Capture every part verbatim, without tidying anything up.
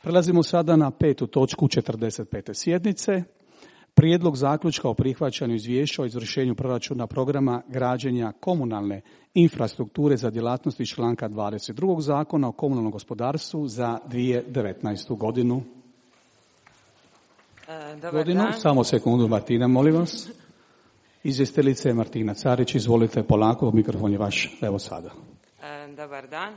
Prelazimo sada na petu točku četrdeset pete sjednice. Prijedlog zaključka o prihvaćanju izvješća o izvršenju proračuna programa građenja komunalne infrastrukture za djelatnosti članka dvadeset drugog Zakona o komunalnom gospodarstvu za dvije tisuće devetnaestu. godinu. E, dobar godinu. dan. Samo sekundu, Martina, molim vas. Izvjestiteljice Martina Carić, izvolite polako, mikrofon je vaš, evo sada. E, dobar dan.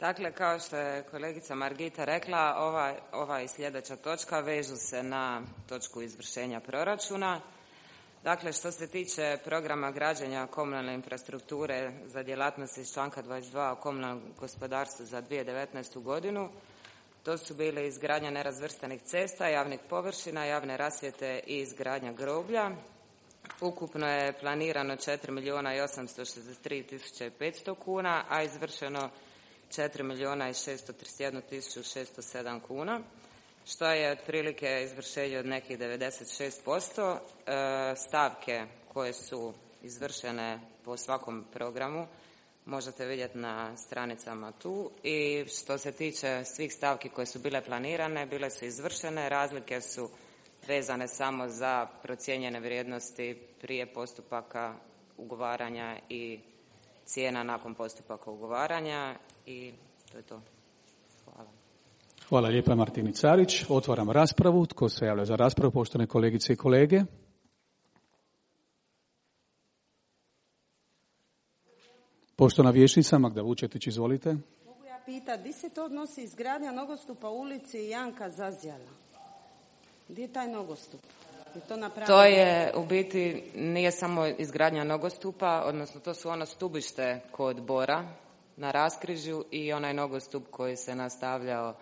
Dakle, kao što je kolegica Margita rekla, ova, ova i sljedeća točka vežu se na točku izvršenja proračuna. Dakle, što se tiče programa građenja komunalne infrastrukture za djelatnosti iz članka dvadeset dva o komunalnom gospodarstvu za dvije tisuće devetnaestu. godinu, to su bile izgradnja nerazvrstanih cesta, javnih površina, javne rasvjete i izgradnja groblja. Ukupno je planirano četiri milijuna i osamsto šezdeset tri tisuće petsto kuna, a izvršeno četiri milijuna i šesto trideset jednu tisuću šesto sedam kuna, što je otprilike izvršenje od nekih devedeset šest posto. E, stavke koje su izvršene po svakom programu možete vidjeti na stranicama tu, i što se tiče svih stavki koje su bile planirane, bile su izvršene, razlike su vezane samo za procijenjene vrijednosti prije postupaka ugovaranja i cijena nakon postupaka ugovaranja, i to je to. Hvala. Hvala lijepa Martini Carić. Otvaram raspravu. Tko se javlja za raspravu, poštovane kolegice i kolege? Poštovana vijećnica Magda Vučetić, izvolite. Mogu ja pitati, di se to odnosi izgradnja nogostupa u ulici Janka Zazjala? Gdje je taj nogostup? Je to napravljeno? To je u biti, nije samo izgradnja nogostupa, odnosno to su ono stubište kod Bora na raskrižju i onaj nogostup koji se nastavljao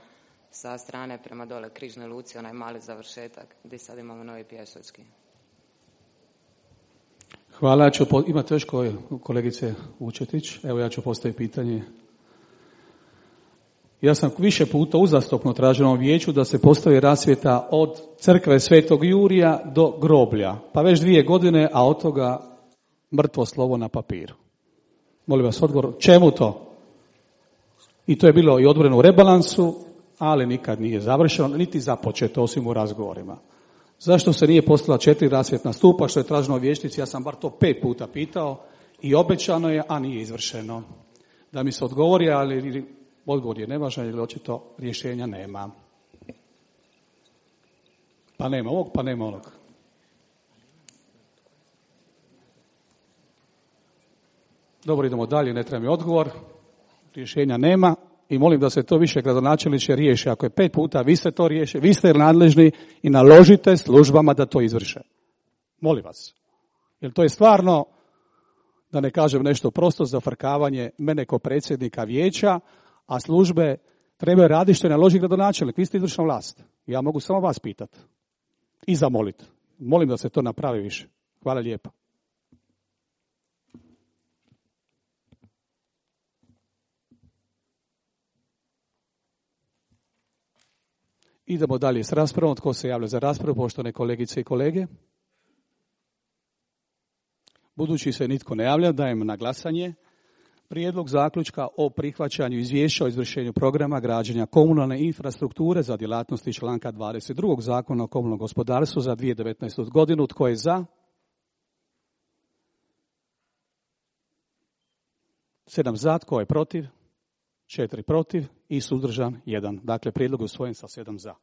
sa strane prema dole Križnoj luci, onaj mali završetak gdje sad imamo novi pješački. Hvala. Ću po... Imate još koje, kolegice Vučetić? Evo ja ću postaviti pitanje. Ja sam više puta uzastopno tražio na vijeću da se postavi rasvjeta od crkve Svetog Jurija do groblja. Pa već dvije godine, a od toga mrtvo slovo na papiru. Molim vas odgovor, čemu to? I to je bilo i odvoreno u rebalansu, ali nikad nije završeno, niti započeto, osim u razgovorima. Zašto se nije postavila četiri rasvjetna stupa, što je traženo u vijećnici? Ja sam bar to pet puta pitao i obećano je, a nije izvršeno. Da mi se odgovori, ali odgovor je nevažan, jer očito rješenja nema. Pa nema ovog, pa nema onog. Dobro, idemo dalje, ne treba mi odgovor. Rješenja nema i molim da se to više gradonačelniče riješi. Ako je pet puta, vi ste to riješi, vi ste nadležni i naložite službama da to izvrše. Molim vas. Jer to je stvarno, da ne kažem nešto prosto, zafrkavanje mene kao predsjednika vijeća, a službe trebaju raditi što je naloži gradonačelnik. Vi ste izvršna vlast. Ja mogu samo vas pitati i zamoliti. Molim da se to napravi više. Hvala lijepa. Idemo dalje s raspravom. Tko se javlja za raspravu, poštovane kolegice i kolege? Budući se nitko ne javlja, dajem na glasanje prijedlog zaključka o prihvaćanju izvješća o izvršenju programa građenja komunalne infrastrukture za djelatnosti članka dvadeset drugog Zakona o komunalnom gospodarstvu za dvije tisuće devetnaestu. godinu. Tko je za? Sedam za, tko je protiv? Četiri protiv i suzdržan jedan. Dakle, prijedlog je usvojen sa sedam za.